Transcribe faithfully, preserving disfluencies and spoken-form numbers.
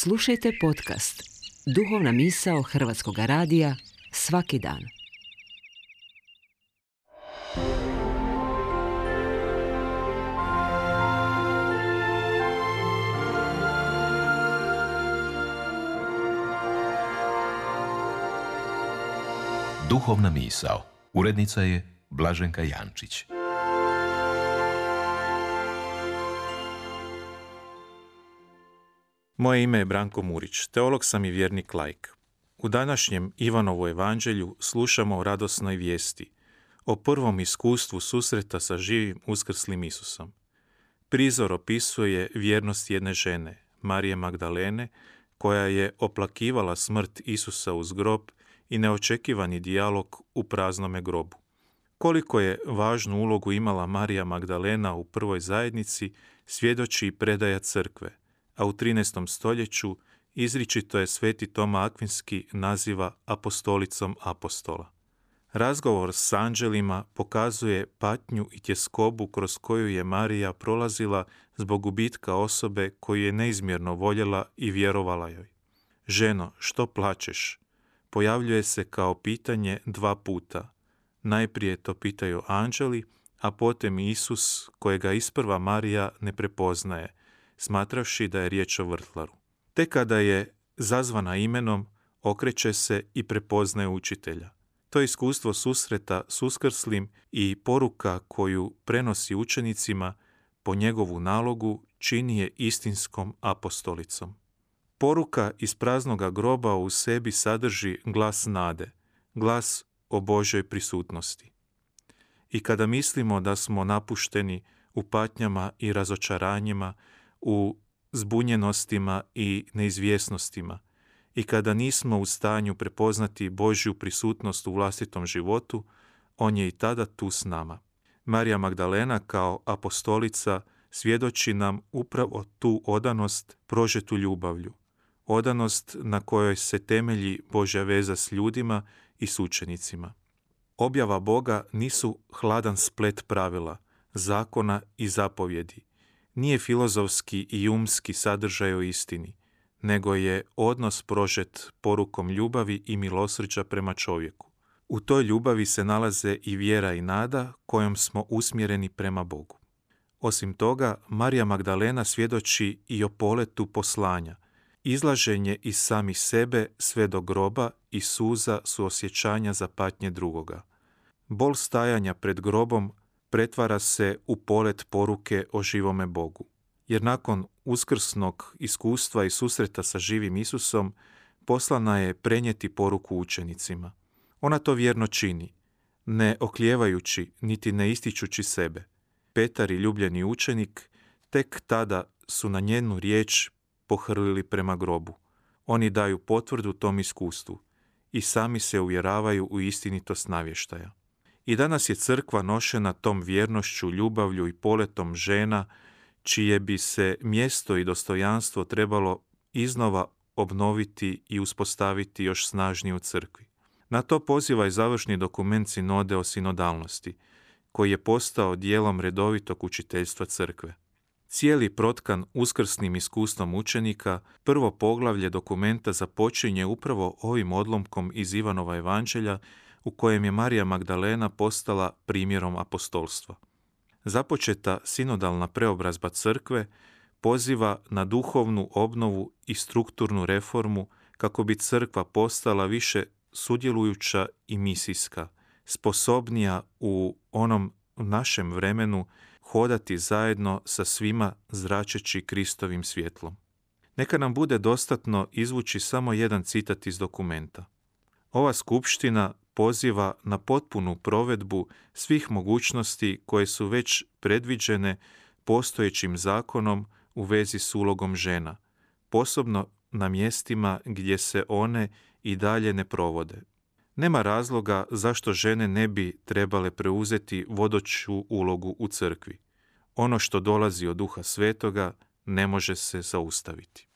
Slušajte podcast Duhovna misao Hrvatskog radija svaki dan. Duhovna misao. Urednica je Blaženka Jančić. Moje ime je Branko Murić, teolog sam i vjernik laik. U današnjem Ivanovu evanđelju slušamo o radosnoj vijesti, o prvom iskustvu susreta sa živim uskrslim Isusom. Prizor opisuje vjernost jedne žene, Marije Magdalene, koja je oplakivala smrt Isusa uz grob i neočekivani dijalog u praznome grobu. Koliko je važnu ulogu imala Marija Magdalena u prvoj zajednici, svjedoči i predaja crkve, a u trinaestom stoljeću izričito je sveti Toma Akvinski naziva apostolicom apostola. Razgovor s anđelima pokazuje patnju i tjeskobu kroz koju je Marija prolazila zbog gubitka osobe koju je neizmjerno voljela i vjerovala joj. Ženo, što plačeš? Pojavljuje se kao pitanje dva puta. Najprije to pitaju anđeli, a potom Isus, kojega isprva Marija ne prepoznaje, smatravši da je riječ o vrtlaru. Tek kada je zazvana imenom, okreće se i prepoznaje učitelja. To iskustvo susreta s uskrslim i poruka koju prenosi učenicima po njegovu nalogu čini je istinskom apostolicom. Poruka iz praznoga groba u sebi sadrži glas nade, glas o Božoj prisutnosti. I kada mislimo da smo napušteni u patnjama i razočaranjima, u zbunjenostima i neizvjesnostima, i kada nismo u stanju prepoznati Božju prisutnost u vlastitom životu, on je i tada tu s nama. Marija Magdalena kao apostolica svjedoči nam upravo tu odanost prožetu ljubavlju, odanost na kojoj se temelji Božja veza s ljudima i s učenicima. Objava Boga nisu hladan splet pravila, zakona i zapovjedi. Nije filozofski i umski sadržaj o istini, nego je odnos prožet porukom ljubavi i milosrđa prema čovjeku. U toj ljubavi se nalaze i vjera i nada kojom smo usmjereni prema Bogu. Osim toga, Marija Magdalena svjedoči i o poletu poslanja, izlaženje iz samih sebe sve do groba i suza suosjećanja za patnje drugoga. Bol stajanja pred grobom pretvara se u polet poruke o živome Bogu. Jer nakon uskrsnog iskustva i susreta sa živim Isusom, poslana je prenijeti poruku učenicima. Ona to vjerno čini, ne oklijevajući niti ne ističući sebe. Petar i ljubljeni učenik tek tada su na njenu riječ pohrlili prema grobu. Oni daju potvrdu tom iskustvu i sami se uvjeravaju u istinitost navještaja. I danas je crkva nošena tom vjernošću, ljubavlju i poletom žena, čije bi se mjesto i dostojanstvo trebalo iznova obnoviti i uspostaviti još snažnije u crkvi. Na to poziva i završni dokument sinode o sinodalnosti, koji je postao dijelom redovitog učiteljstva crkve. Cijeli protkan uskrsnim iskustvom učenika, prvo poglavlje dokumenta započinje upravo ovim odlomkom iz Ivanova evanđelja, u kojem je Marija Magdalena postala primjerom apostolstva. Započeta sinodalna preobrazba crkve poziva na duhovnu obnovu i strukturnu reformu kako bi crkva postala više sudjelujuća i misijska, sposobnija u onom našem vremenu hodati zajedno sa svima zračeći Kristovim svjetlom. Neka nam bude dostatno izvući samo jedan citat iz dokumenta. Ova skupština poziva na potpunu provedbu svih mogućnosti koje su već predviđene postojećim zakonom u vezi s ulogom žena, posebno na mjestima gdje se one i dalje ne provode. Nema razloga zašto žene ne bi trebale preuzeti vodeću ulogu u crkvi. Ono što dolazi od Duha Svetoga ne može se zaustaviti.